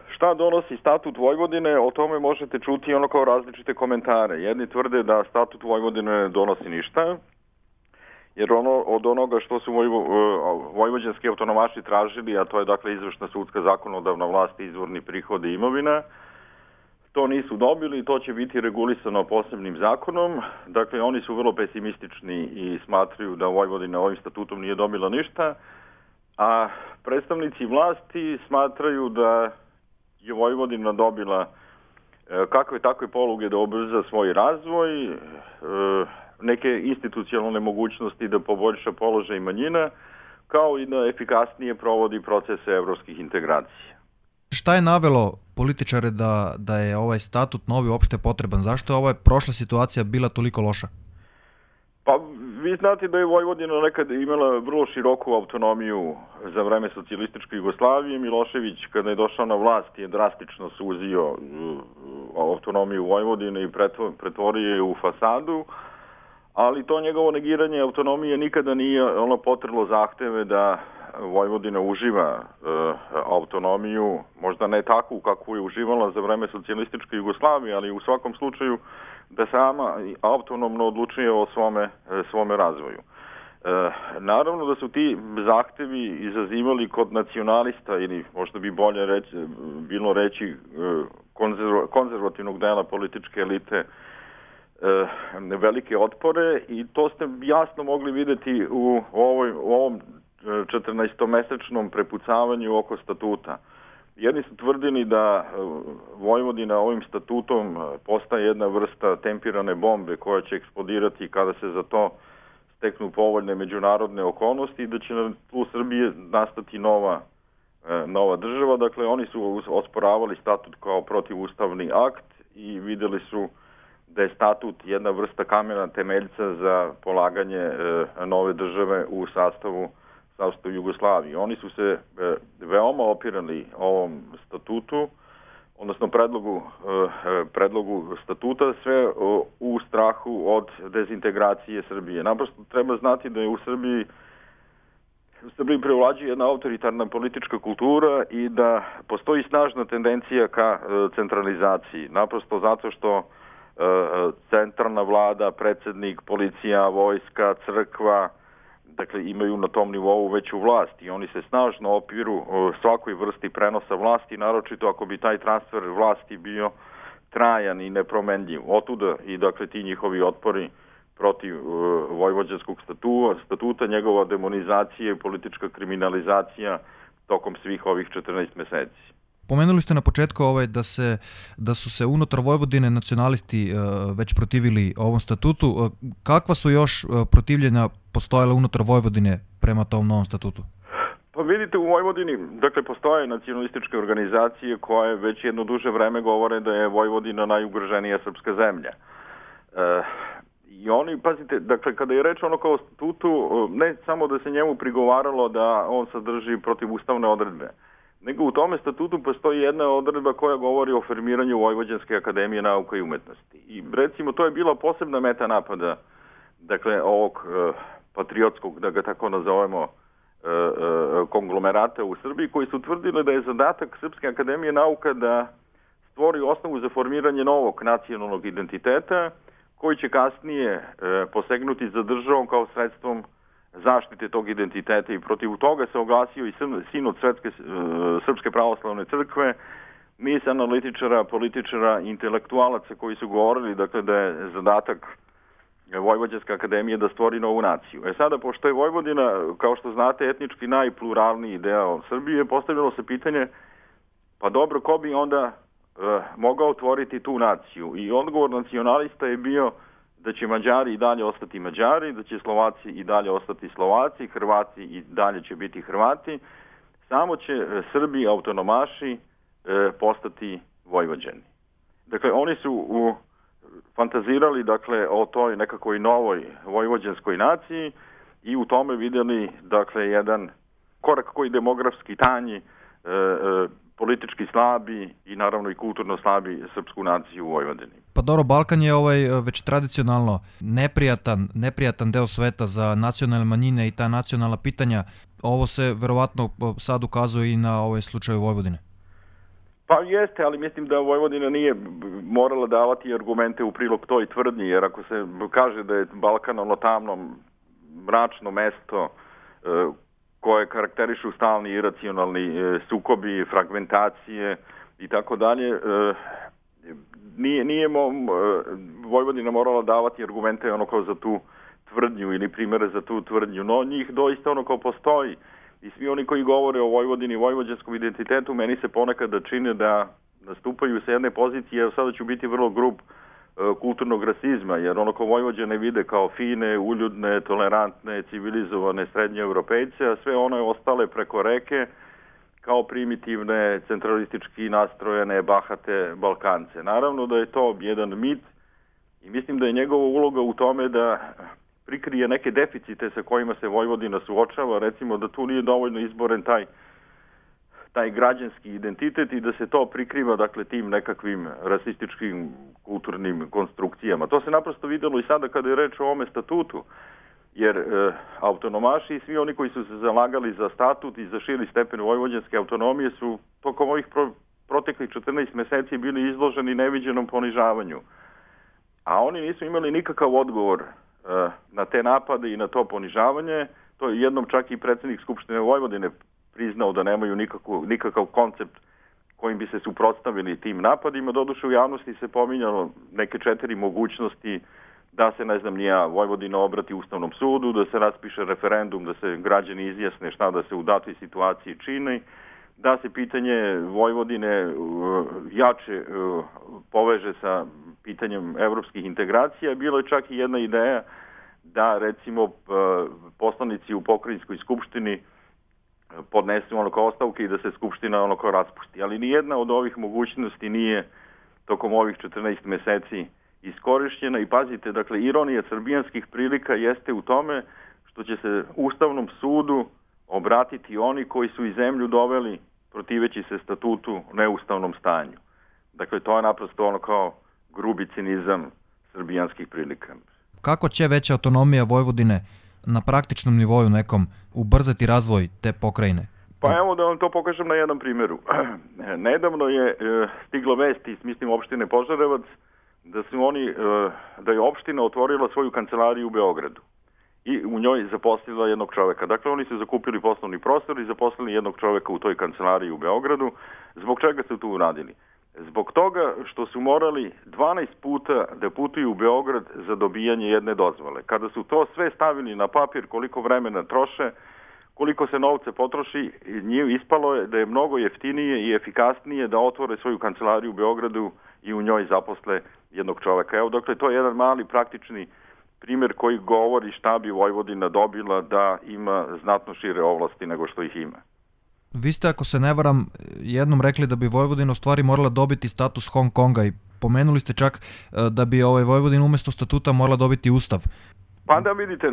Šta donosi statut Vojvodine, o tome možete čuti ono kao različite komentare. Jedni tvrde da statut Vojvodine ne donosi ništa, jer od onoga što su vojvođanski autonomaši tražili, a to je dakle izvršna, sudska, zakonodavna vlast, izvorni prihodi i imovina, to nisu dobili, to će biti regulisano posebnim zakonom. Dakle, oni su vrlo pesimistični i smatraju da Vojvodina ovim statutom nije dobila ništa, a predstavnici vlasti smatraju da je Vojvodina dobila kakve takve poluge da ubrza svoj razvoj, neke institucionalne mogućnosti da poboljša položaj manjina, kao i da efikasnije provodi procese evropskih integracija. Šta je navelo političare da je ovaj statut novi uopšte potreban? Zašto je ova prošla situacija bila toliko loša? Pa vi znate da je Vojvodina nekad imala vrlo široku autonomiju za vreme socijalističke Jugoslavije. Milošević, kada je došao na vlast, je drastično suzio autonomiju Vojvodine i pretvorio je u fasadu, ali to njegovo negiranje autonomije nikada nije potrlo zahteve da Vojvodina uživa autonomiju, možda ne takvu kakvu je uživala za vreme socijalističke Jugoslavije, ali u svakom slučaju da sama autonomno odlučuje o svome razvoju. Naravno da su ti zahtevi izazivali kod nacionalista, ili možda bi bolje bilo reći konzervativnog dela političke elite, velike otpore, i to ste jasno mogli videti u ovom 14-mesečnom prepucavanju oko statuta. Jedni su tvrdili da Vojvodina ovim statutom postaje jedna vrsta tempirane bombe koja će eksplodirati kada se za to steknu povoljne međunarodne okolnosti i da će na tlu Srbije nastati nova država. Dakle, oni su osporavali statut kao protivustavni akt i videli su da je statut jedna vrsta kamena temeljca za polaganje nove države u sastavu Jugoslavije. Oni su se veoma opirali ovom statutu, odnosno predlogu statuta, sve u strahu od dezintegracije Srbije. Naprosto treba znati da je u Srbiji prevlađuje jedna autoritarna politička kultura i da postoji snažna tendencija ka centralizaciji. Naprosto zato što centralna vlada, predsednik, policija, vojska, crkva, dakle, imaju na tom nivou veću vlast i oni se snažno opiru svakoj vrsti prenosa vlasti, naročito ako bi taj transfer vlasti bio trajan i nepromenljiv. Otuda i dakle ti njihovi otpori protiv vojvođanskog statuta, njegova demonizacija i politička kriminalizacija tokom svih ovih 14 meseci. Pomenuli ste na početku da su se unutar Vojvodine nacionalisti već protivili ovom statutu. Kakva su još protivljenja postojala unutar Vojvodine prema tom novom statutu? Pa vidite, u Vojvodini, dakle, postoje nacionalističke organizacije koje već jedno duže vreme govore da je Vojvodina najugroženija srpska zemlja. I oni, pazite, dakle, kada je reč ono kao statutu, ne samo da se njemu prigovaralo da on sadrži protivustavne odredbe, nego u tome statutu postoji jedna odredba koja govori o formiranju Vojvođanske akademije nauka i umetnosti. I recimo to je bila posebna meta napada, dakle, ovog patriotskog, da ga tako nazovemo, konglomerata u Srbiji, koji su tvrdili da je zadatak Srpske akademije nauka da stvori osnovu za formiranje novog nacionalnog identiteta, koji će kasnije posegnuti za državom kao sredstvom zaštite tog identiteta, i protiv toga se oglasio i sinod Srpske pravoslavne crkve, niz analitičara, političara, intelektualaca koji su govorili, dakle, da je zadatak Vojvođanske akademije da stvori novu naciju. Sada, pošto je Vojvodina, kao što znate, etnički najpluralniji deo Srbije, postavljalo se pitanje, pa dobro, ko bi onda mogao otvoriti tu naciju? I odgovor nacionalista je bio da će Mađari i dalje ostati Mađari, da će Slovaci i dalje ostati Slovaci, Hrvati i dalje će biti Hrvati, samo će Srbi, autonomaši, postati Vojvođani. Dakle, oni su fantazirali, dakle, o toj nekakvoj novoj vojvođanskoj naciji i u tome vidjeli, dakle, jedan korak koji demografski tanji, politički slabi i naravno i kulturno slabi srpsku naciju u Vojvodini. Pa dobro, Balkan je već tradicionalno neprijatan deo sveta za nacionalne manjine i ta nacionalna pitanja. Ovo se verovatno sad ukazuje i na ovaj slučaj Vojvodine. Pa jeste, ali mislim da Vojvodina nije morala davati argumente u prilog toj tvrdnji, jer ako se kaže da je Balkan ono tamno, mračno mesto koje karakterišu stalni iracionalni sukobi, fragmentacije i tako dalje, nije Vojvodina morala davati argumente ono kao za tu tvrdnju ili primere za tu tvrdnju, no njih doista ono kao postoji. I svi oni koji govore o Vojvodini i vojvođanskom identitetu, meni se ponekad čine da nastupaju sa jedne pozicije, evo sada ću biti vrlo grub, kulturnog rasizma, jer ono kao Vojvođane vide kao fine, uljudne, tolerantne, civilizovane srednje Europejce, a sve one ostale preko reke kao primitivne, centralistički nastrojene, bahate Balkance. Naravno da je to jedan mit i mislim da je njegova uloga u tome da prikrije neke deficite sa kojima se Vojvodina suočava, recimo da tu nije dovoljno izboren taj građanski identitet i da se to prikriva dakle tim nekakvim rasističkim kulturnim konstrukcijama. To se naprosto videlo i sada kada je reč o ovome statutu, jer autonomaši i svi oni koji su se zalagali za statut i za širi stepen vojvođanske autonomije su tokom ovih proteklih 14 meseci bili izloženi neviđenom ponižavanju. A oni nisu imali nikakav odgovor na te napade i na to ponižavanje. To je jednom čak i predsjednik Skupštine Vojvodine priznao da nemaju nikakav koncept kojim bi se suprotstavili tim napadima. Doduše u javnosti se pominjalo neke 4 mogućnosti da se, ne znam ni ja, Vojvodina obrati Ustavnom sudu, da se raspiše referendum, da se građani izjasne šta da se u datoj situaciji čini, da se pitanje Vojvodine jače poveže sa pitanjem evropskih integracija. Bilo je čak i jedna ideja da recimo poslanici u pokrajinskoj skupštini podnesu ono kao ostavke i da se skupština ono kao raspusti. Ali nijedna od ovih mogućnosti nije tokom ovih 14 meseci iskorišćena i pazite, dakle, ironija srbijanskih prilika jeste u tome što će se Ustavnom sudu obratiti oni koji su i zemlju doveli protiveći se statutu neustavnom stanju. Dakle, to je naprosto ono kao grubi cinizam srbijanskih prilika. Kako će veća autonomija Vojvodine na praktičnom nivoju nekom ubrzati razvoj te pokrajine? Pa evo da vam to pokažem na jednom primjeru. Nedavno je stigla vest iz, mislim, opštine Požarevac da je opština otvorila svoju kancelariju u Beogradu i u njoj zaposlila jednog čoveka. Dakle, oni su zakupili poslovni prostor i zaposlili jednog čoveka u toj kancelariji u Beogradu. Zbog čega su tu uradili? Zbog toga što su morali 12 puta da putuju u Beograd za dobijanje jedne dozvole. Kada su to sve stavili na papir, koliko vremena troše, koliko se novca potroši, ispalo je da je mnogo jeftinije i efikasnije da otvore svoju kancelariju u Beogradu i u njoj zaposle jednog čoveka. Evo, dakle, to je jedan mali praktični primjer koji govori šta bi Vojvodina dobila da ima znatno šire ovlasti nego što ih ima. Vi ste, ako se ne varam, jednom rekli da bi Vojvodina u stvari morala dobiti status Hong Konga i pomenuli ste čak da bi Vojvodina umjesto statuta morala dobiti ustav. Pa da vidite,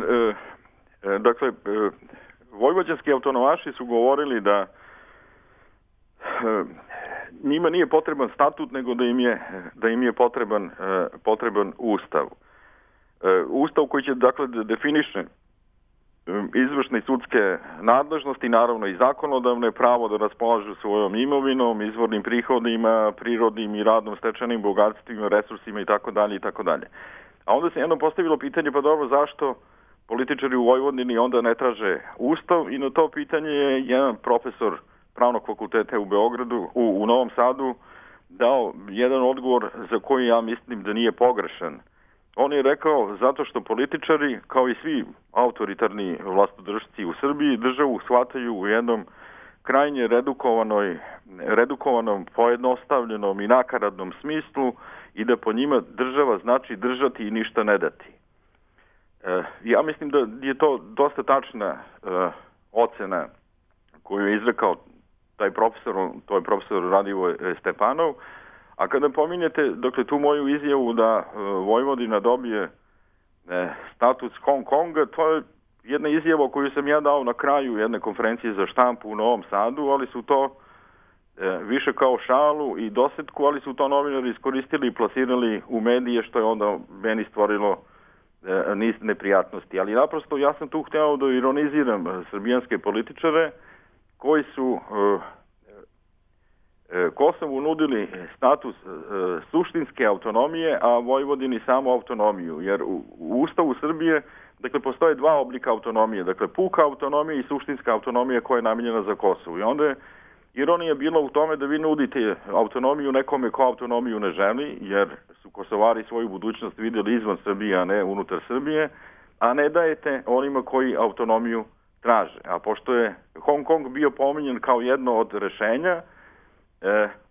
dakle, vojvođanski autonomaši su govorili da njima nije potreban statut, nego da im je potreban ustav. Ustav koji će, dakle, definiše izvršne i sudske nadležnosti, naravno i zakonodavne, pravo da raspolažu svojom imovinom, izvornim prihodima, prirodnim i radnom stečenim bogatstvima, resursima itd. itd. A onda se jednom postavilo pitanje, pa dobro, zašto političari u Vojvodini onda ne traže ustav, i na to pitanje je jedan profesor Pravnog fakulteta u Beogradu, u Novom Sadu, dao jedan odgovor za koji ja mislim da nije pogrešan. On je rekao zato što političari, kao i svi autoritarni vlastodržci u Srbiji, državu shvataju u jednom krajnje redukovanom, pojednostavljenom i nakaradnom smislu i da po njima država znači držati i ništa ne dati. Ja mislim da je to dosta tačna ocena koju je izrekao taj profesor, to je profesor Radivoj Stepanov. A kada pominjete, dakle, tu moju izjavu da Vojvodina dobije status Hong Konga, to je jedna izjava koju sam ja dao na kraju jedne konferencije za štampu u Novom Sadu, ali su to više kao šalu i dosetku, ali su to novinari iskoristili i plasirali u medije, što je onda meni stvorilo niz neprijatnosti. Ali naprosto ja sam tu hteo da ironiziram srbijanske političare koji su Kosovu nudili status suštinske autonomije, a Vojvodini samo autonomiju, jer u Ustavu Srbije dakle, postoje dva oblika autonomije, dakle puka autonomija i suštinska autonomija koja je namijenjena za Kosovo. I onda je ironija bila u tome da vi nudite autonomiju nekome ko autonomiju ne želi, jer su Kosovari svoju budućnost vidjeli izvan Srbije, a ne unutar Srbije, a ne dajete onima koji autonomiju traže. A pošto je Hong Kong bio pominjen kao jedno od rešenja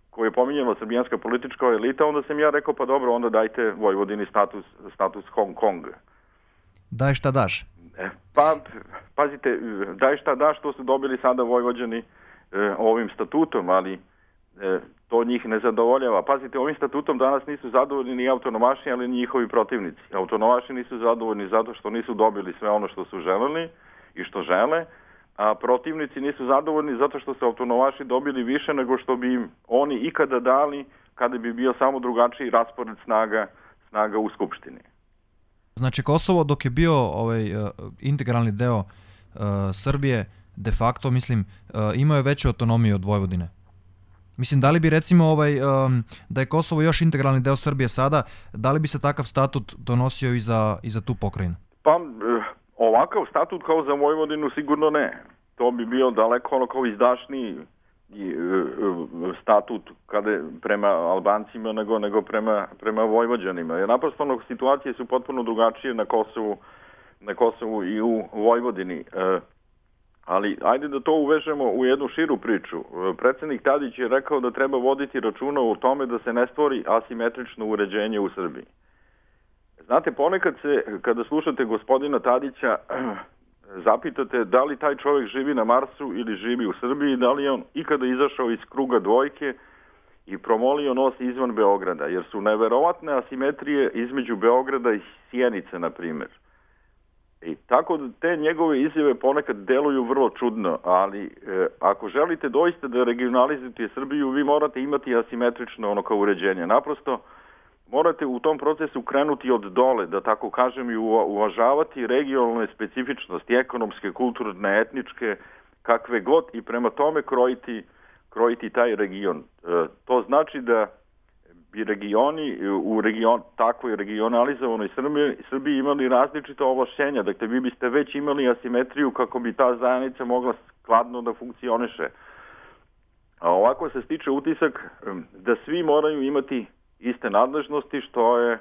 koje je pominjala srbijanska politička elita, onda sam ja rekao, pa dobro, onda dajte Vojvodini status Hong Konga. Daj šta daš? Pa, pazite, daj šta daš, to su dobili sada Vojvođani ovim statutom, ali to njih ne zadovoljava. Pazite, ovim statutom danas nisu zadovoljni ni autonomaši, ali ni njihovi protivnici. Autonomaši nisu zadovoljni zato što nisu dobili sve ono što su želeli i što žele, a protivnici nisu zadovoljni zato što su autonomaši dobili više nego što bi im oni ikada dali kada bi bio samo drugačiji raspored snaga u Skupštini. Znači Kosovo dok je bio integralni deo Srbije, de facto, mislim, imao je veću autonomiju od Vojvodine. Mislim, da li bi recimo da je Kosovo još integralni deo Srbije sada, da li bi se takav statut donosio i za tu pokrajinu? Pa, ovakav statut kao za Vojvodinu sigurno ne. To bi bio daleko kao izdašniji statut kada prema Albancima nego prema Vojvođanima. Jer naprosto situacije su potpuno drugačije na Kosovu i u Vojvodini. Ali ajde da to uvežemo u jednu širu priču. Predsednik Tadić je rekao da treba voditi računa o tome da se ne stvori asimetrično uređenje u Srbiji. Znate, ponekad se, kada slušate gospodina Tadića, zapitate da li taj čovjek živi na Marsu ili živi u Srbiji, da li je on ikada izašao iz kruga dvojke i promolio nos izvan Beograda, jer su neverovatne asimetrije između Beograda i Sjenice, na primjer. I tako da te njegove izjave ponekad deluju vrlo čudno, ali ako želite doista da regionalizujete Srbiju, vi morate imati asimetrično kao uređenje. Naprosto morate u tom procesu krenuti od dole, da tako kažem, i uvažavati regionalne specifičnosti, ekonomske, kulturne, etničke, kakve god, i prema tome krojiti taj region. To znači da bi regioni u takvoj regionalizovanoj Srbiji imali različita ovlašćenja. Dakle, vi biste već imali asimetriju kako bi ta zajednica mogla skladno da funkcioniše. A ovako se stiče utisak da svi moraju imati iste nadležnosti, što je,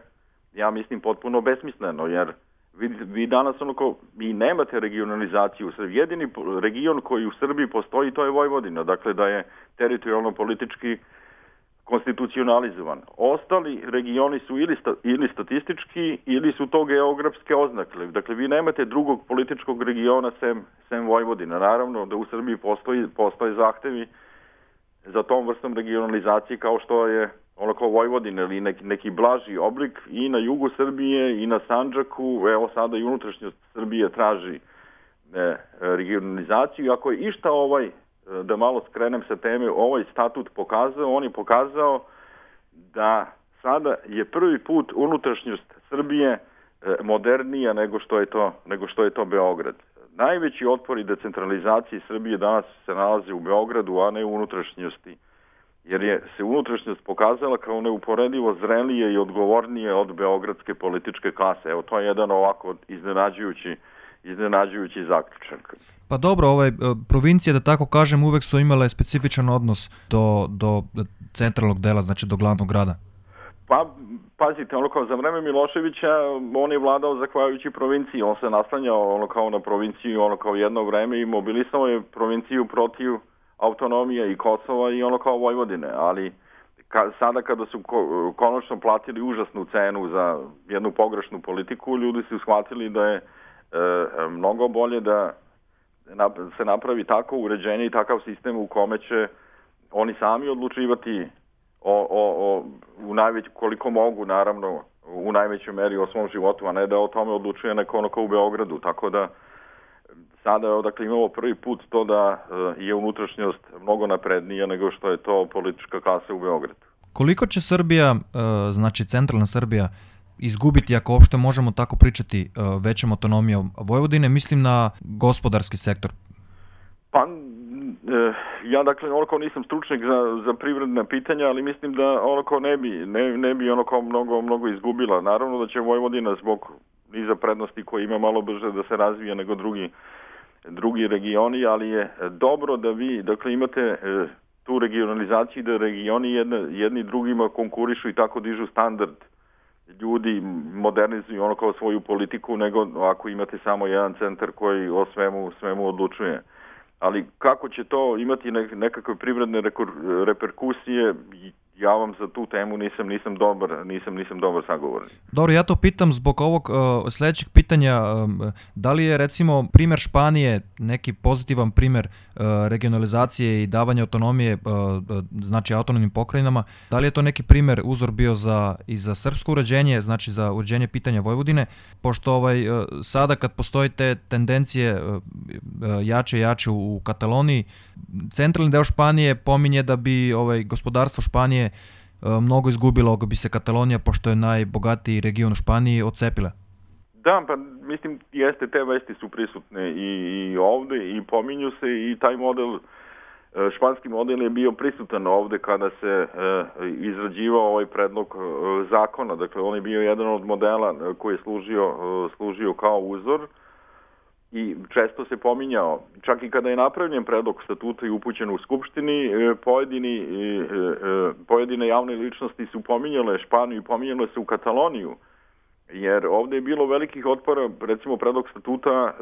ja mislim, potpuno besmisleno, jer vi danas vi nemate regionalizaciju u Srbiji. Jedini region koji u Srbiji postoji, to je Vojvodina, dakle da je teritorijalno politički konstitucionalizovan. Ostali regioni su ili statistički ili su to geografske oznake. Dakle, vi nemate drugog političkog regiona sem Vojvodina. Naravno da u Srbiji postoje zahtevi za tom vrstom regionalizacije kao što je kao Vojvodina ili neki blaži oblik i na jugu Srbije i na Sandžaku. Evo sada i unutrašnjost Srbije traži regionalizaciju. Ako je išta da malo skrenem sa teme, ovaj statut pokazao, on je pokazao da sada je prvi put unutrašnjost Srbije modernija nego što je to Beograd. Najveći otpori decentralizaciji Srbije danas se nalaze u Beogradu, a ne u unutrašnjosti, jer je se unutrašnjost pokazala kao neuporedivo zrelije i odgovornije od beogradske političke klase. Evo, to je jedan ovako iznenađujući zaključak. Pa dobro, provincije, da tako kažem, uvek su imale specifičan odnos do centralnog dela, znači do glavnog grada. Pa, pazite, kao za vreme Miloševića, on je vladao zahvaljujući provinciji, on se naslanjao kao na provinciju, kao jedno vreme i mobilisao je provinciju protiv autonomije i Kosova i kao Vojvodine, ali sada kada su konačno platili užasnu cenu za jednu pogrešnu politiku, ljudi su shvatili da je mnogo bolje da se napravi tako uređenje i takav sistem u kome će oni sami odlučivati koliko mogu, naravno, u najvećoj meri o svom životu, a ne da o tome odlučuje neko u Beogradu. Tako da sada imamo prvi put to da je unutrašnjost mnogo naprednija nego što je to politička klasa u Beogradu. Koliko će Srbija, znači centralna Srbija, izgubiti, ako uopšte možemo tako pričati, većom autonomijom Vojvodine, mislim na gospodarski sektor? Pa, Ja dakle onako nisam stručnjak za privredna pitanja, ali mislim da onako ne bi onako mnogo izgubila. Naravno da će Vojvodina zbog niza prednosti koje ima malo brže da se razvija nego drugi regioni, ali je dobro da vi dakle imate tu regionalizaciju, da regioni jedni drugima konkurišu i tako dižu standard. Ljudi modernizuju ono kao svoju politiku, nego ako imate samo jedan centar koji o svemu odlučuje. Ali kako će to imati nekakve privredne reperkusije, ja vam za tu temu nisam dobar sagovornik. Dobro, ja to pitam zbog ovog sljedećeg pitanja. Da li je recimo primjer Španije neki pozitivan primjer regionalizacije i davanja autonomije, znači autonomnim pokrajinama? Da li je to neki primjer uzor bio i za srpsko uređenje, znači za uređenje pitanja Vojvodine? Pošto sada kad postoji te tendencije jače i jače u Kataloniji, centralni deo Španije pominje da bi gospodarstvo Španije mnogo izgubilo ako bi se Katalonija, pošto je najbogatiji region u Španiji, odcepila. Da, pa mislim jeste, te vesti su prisutne i ovde i pominju se i taj model, španski model je bio prisutan ovde kada se izrađivao ovaj predlog zakona. Dakle, on je bio jedan od modela koji je služio kao uzor i često se pominjao. Čak i kada je napravljen predlog statuta i upućen u Skupštini, pojedine javne ličnosti su pominjale Španiju i pominjale se u Kataloniju. Jer ovde je bilo velikih otpora, recimo predlog statuta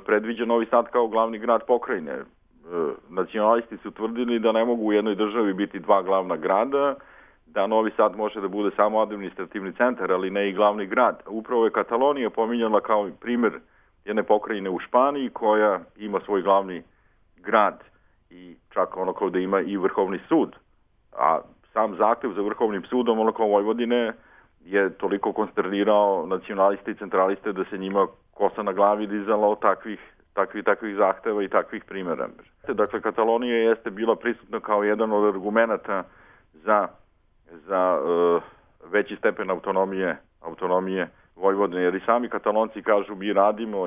predviđa Novi Sad kao glavni grad pokrajine. Nacionalisti su tvrdili da ne mogu u jednoj državi biti dva glavna grada, da Novi Sad može da bude samo administrativni centar, ali ne i glavni grad. Upravo je Katalonija pominjala kao primjer jedne pokrajine u Španiji koja ima svoj glavni grad i čak ono kao da ima i Vrhovni sud. A sam zahtev za Vrhovnim sudom ono kao Vojvodine je toliko konsternirao nacionaliste i centraliste da se njima kosa na glavi dizala od takvih zahteva i takvih primjera. Dakle, Katalonija jeste bila prisutna kao jedan od argumenata za veći stepen autonomije Vojvodine, jer i sami Katalonci kažu mi radimo,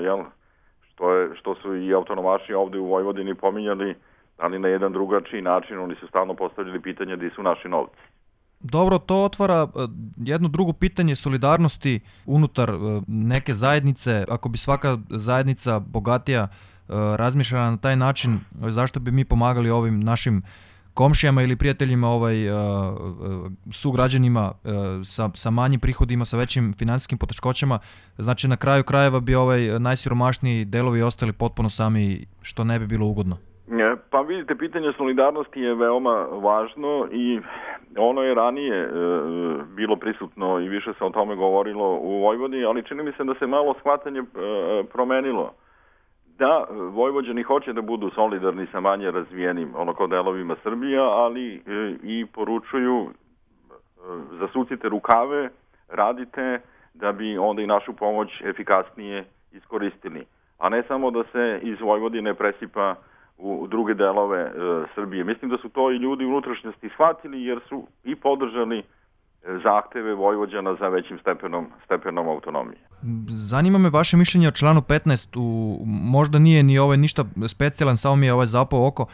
što su i autonomaši ovde u Vojvodini pominjali, ali na jedan drugačiji način. Oni su stalno postavljali pitanje gdje su naši novci. Dobro, to otvara jedno drugo pitanje solidarnosti unutar neke zajednice. Ako bi svaka zajednica bogatija razmišljala na taj način, zašto bi mi pomagali ovim našim komšijama ili prijateljima, sugrađanima sa manjim prihodima, sa većim financijskim poteškoćama. Znači na kraju krajeva bi najsiromašniji delovi ostali potpuno sami, što ne bi bilo ugodno. Pa vidite, pitanje solidarnosti je veoma važno i ono je ranije bilo prisutno i više se o tome govorilo u Vojvodini, ali čini mi se da se malo shvatanje promenilo. Da, Vojvođani hoće da budu solidarni sa manje razvijenim kao delovima Srbija, ali i poručuju zasucite rukave, radite da bi onda i našu pomoć efikasnije iskoristili. A ne samo da se iz Vojvodine presipa u druge delove Srbije. Mislim da su to i ljudi u unutrašnjosti shvatili jer su i podržali zahteve Vojvođana za većim stepenom autonomije. Zanima me vaše mišljenje o članu 15. Možda nije ni ništa specijalan, samo mi je zapao oko,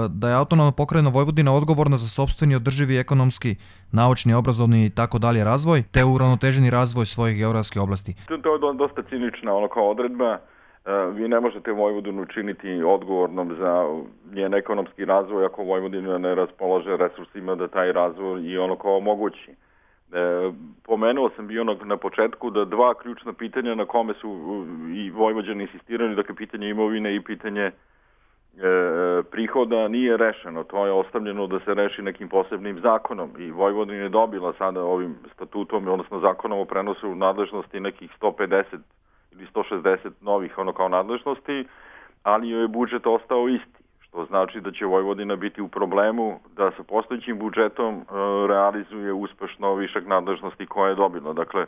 da je autonomna pokrajina Vojvodina odgovorna za sopstveni održivi ekonomski, naučni, obrazovni i tako dalje razvoj, te uravnoteženi razvoj svojih geografskih oblasti. To je dosta cinična kao odredba. Vi ne možete Vojvodinu učiniti odgovornom za njen ekonomski razvoj ako Vojvodina ne raspolaže resursima da taj razvoj i kao omogući. Pomenuo sam bio na početku da dva ključna pitanja na kome su i Vojvođani insistirali, dakle pitanje imovine i pitanje prihoda nije rešeno. To je ostavljeno da se reši nekim posebnim zakonom i Vojvodina je dobila sada ovim statutom, odnosno zakonom o prenosu nadležnosti nekih 150 ili 160 novih kao nadležnosti, ali joj je budžet ostao isti, što znači da će Vojvodina biti u problemu da sa postojećim budžetom realizuje uspešno višak nadležnosti koje je dobila. Dakle,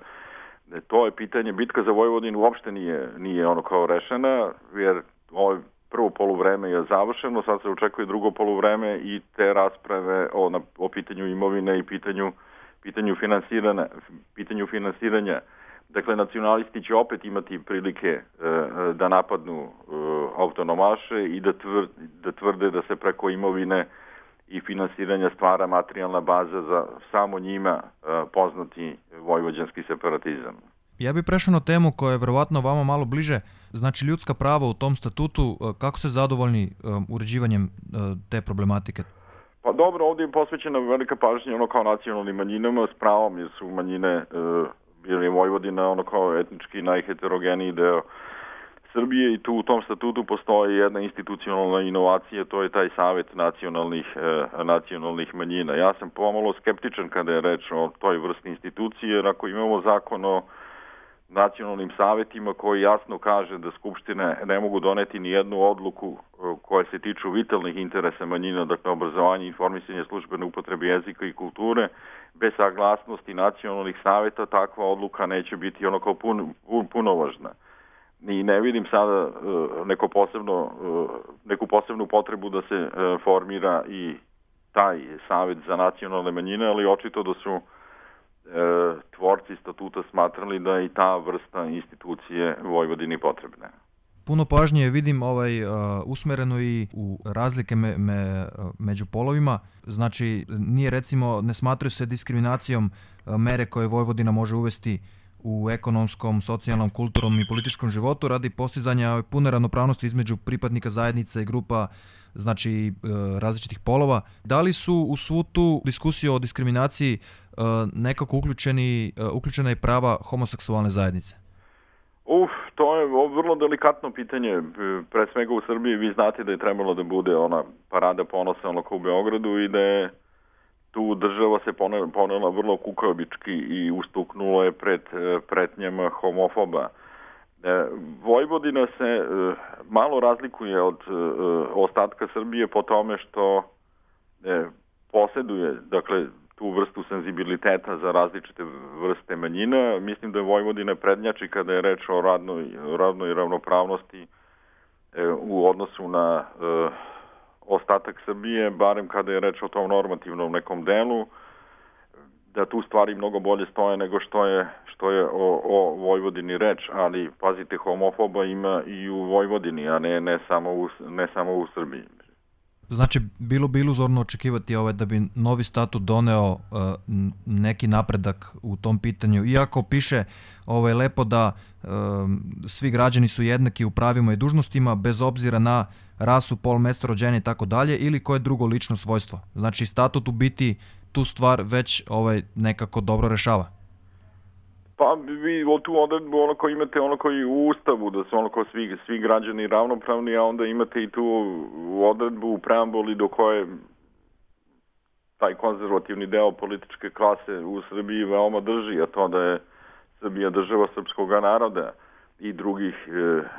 to je pitanje, bitka za Vojvodinu uopšte nije rešena, jer ovo prvo poluvreme je završeno, sad se očekuje drugo poluvreme i te rasprave o pitanju imovine i pitanju finansiranja. Dakle, nacionalisti će opet imati prilike da napadnu autonomaše i da tvrde da se preko imovine i finansiranja stvara materijalna baza za samo njima poznati vojvođanski separatizam. Ja bih prešao na temu koja je verovatno vama malo bliže, znači ljudska prava u tom statutu. Kako ste zadovoljni uređivanjem te problematike? Pa dobro, ovdje je posvećena velika pažnja kao nacionalnim manjinama s pravom, jer su manjine bili Vojvodina kao etnički najheterogeniji deo Srbije i tu u tom statutu postoji jedna institucionalna inovacija, to je taj Savet nacionalnih manjina. Ja sam pomalo skeptičan kada je reč o toj vrsti institucije, jer ako imamo zakon o nacionalnim savetima koji jasno kaže da skupštine ne mogu doneti ni jednu odluku koja se tiču vitalnih interesa manjina, dakle obrazovanje, informisanje, službene upotrebe jezika i kulture, bez saglasnosti nacionalnih saveta takva odluka neće biti kao punovažna. I ne vidim sada neku posebnu potrebu da se formira i taj savet za nacionalne manjine, ali očito da su tvorci statuta smatrali da je i ta vrsta institucije Vojvodini potrebna. Puno pažnje vidim usmereno i u razlike među polovima. Znači, ne smatraju se diskriminacijom mere koje Vojvodina može uvesti u ekonomskom, socijalnom, kulturnom i političkom životu radi postizanja pune ravnopravnosti između pripadnika zajednica i grupa, znači različitih polova. Da li su u svu tu diskusiju o diskriminaciji nekako uključena i prava homoseksualne zajednice? To je vrlo delikatno pitanje. Pre svega u Srbiji vi znate da je trebalo da bude ona parada ponosa u Beogradu i da je tu država se ponela vrlo kukavički i ustuknulo je pred pretnjama homofoba. Vojvodina se malo razlikuje od ostatka Srbije po tome što posjeduje, dakle, tu vrstu senzibiliteta za različite vrste manjina. Mislim da je Vojvodina prednjači kada je reč o radnoj ravnopravnosti u odnosu na ostatak Srbije, barem kada je reč o tom normativnom nekom delu, da tu stvari mnogo bolje stoje nego što je o Vojvodini reč, ali pazite, homofoba ima i u Vojvodini, a ne samo u Srbiji. Znači, bilo bi iluzorno očekivati da bi novi statut doneo neki napredak u tom pitanju, iako piše lepo da svi građani su jednaki u pravima i dužnostima bez obzira na rasu, pol, mesto rođenja i tako dalje, ili koje drugo lično svojstvo. Znači, statut u biti tu stvar već nekako dobro rešava. Pa vi tu odredbu imate i u Ustavu, da su svi građani ravnopravni, a onda imate i tu odredbu u preambuli do koje taj konzervativni deo političke klase u Srbiji veoma drži, a to da je Srbija država srpskog naroda i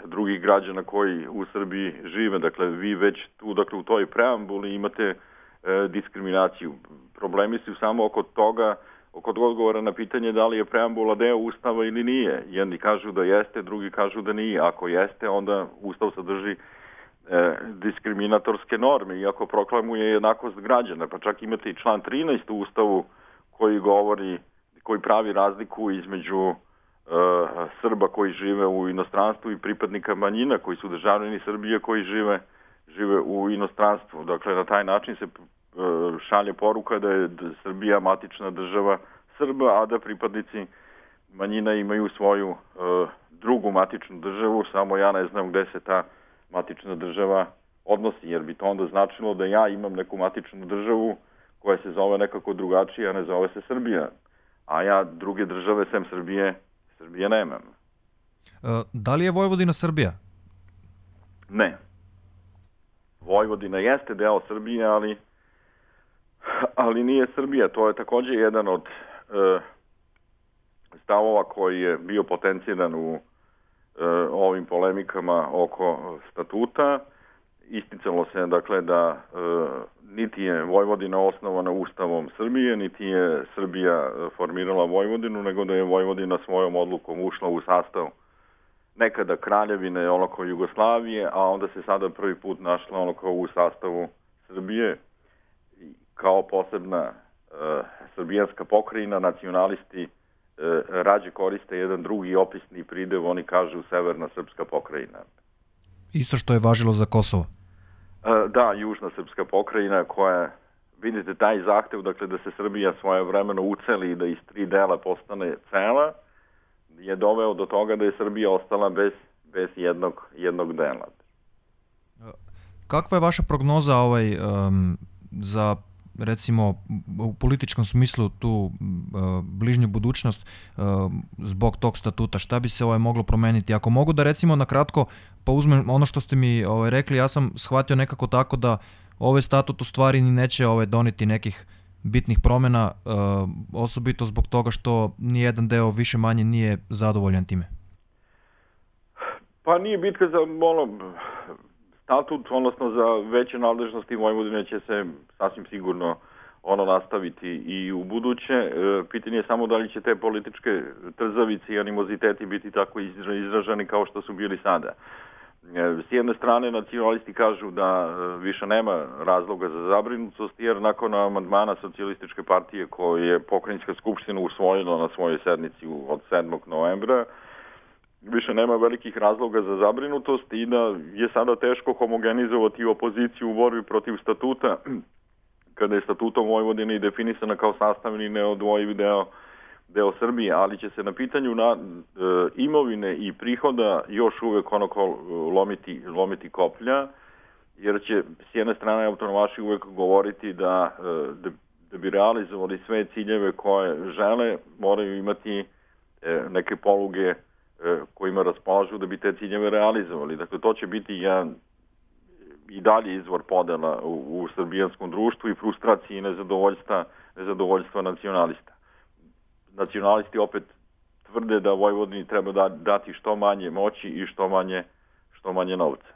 drugih građana koji u Srbiji žive. Dakle, vi već tu, u toj preambuli imate diskriminaciju. Problemi su samo oko odgovora na pitanje da li je preambula deo Ustava ili nije. Jedni kažu da jeste, drugi kažu da nije. Ako jeste, onda Ustav sadrži diskriminatorske norme, iako proklamuje jednakost građana. Pa čak imate i član 13 u Ustavu koji pravi razliku između Srba koji žive u inostranstvu i pripadnika manjina koji su državljani Srbije koji žive u inostranstvu. Dakle, na taj način se šalje poruka da je Srbija matična država Srba, a da pripadnici manjina imaju svoju drugu matičnu državu, samo ja ne znam gde se ta matična država odnosi, jer bi to onda značilo da ja imam neku matičnu državu koja se zove nekako drugačije, a ne zove se Srbija. A ja druge države sem Srbije nemam. Da li je Vojvodina Srbija? Ne. Vojvodina jeste deo Srbije, ali nije Srbija. To je također jedan od stavova koji je bio potenciran u ovim polemikama oko statuta. Isticalo se, dakle, da niti je Vojvodina osnovana Ustavom Srbije, niti je Srbija formirala Vojvodinu, nego da je Vojvodina svojom odlukom ušla u sastav nekada kraljevine Jugoslavije, a onda se sada prvi put našla u sastavu Srbije kao posebna srbijanska pokrajina. Nacionalisti rađe koriste jedan drugi opisni pridev, oni kažu severna srpska pokrajina. Isto što je važilo za Kosovo. Da, južna srpska pokrajina koja, vidite, taj zahtev, dakle da se Srbija svojevremeno uceli i da iz 3 dela postane cela, je doveo do toga da je Srbija ostala bez jednog dela. Kakva je vaša prognoza za, recimo, u političkom smislu tu bližnju budućnost zbog tog statuta? Šta bi se moglo promeniti? Ako mogu da, recimo, na kratko pa uzmem ono što ste mi rekli, ja sam shvatio nekako tako da ovaj statut u stvari ni neće doneti nekih bitnih promjena, osobito zbog toga što nijedan deo više manje nije zadovoljan time. Pa nije bitka za statut, odnosno za veće nadležnosti Vojvodine će se sasvim sigurno nastaviti i u buduće. Pitanje je samo da li će te političke trzavice i animoziteti biti tako izraženi kao što su bili sada. S jedne strane nacionalisti kažu da više nema razloga za zabrinutost, jer nakon amandmana Socijalističke partije koje je Pokrajinska skupština usvojila na svojoj sednici od 7. novembra, više nema velikih razloga za zabrinutost i da je sada teško homogenizovati opoziciju u borbi protiv statuta, kada je statutom Vojvodine i definisana kao sastavni neodvojivi deo Srbije, ali će se na pitanju imovine i prihoda još uvek lomiti koplja, jer će s jedne strane autonomaši uvek govoriti da bi realizovali sve ciljeve koje žele, moraju imati neke poluge kojima raspolažu da bi te ciljeve realizovali. Dakle, to će biti jedan i dalje izvor podela u srbijanskom društvu i frustracije i nezadovoljstva nacionalista. Nacionalisti opet tvrde da Vojvodini treba dati što manje moći i što manje novca.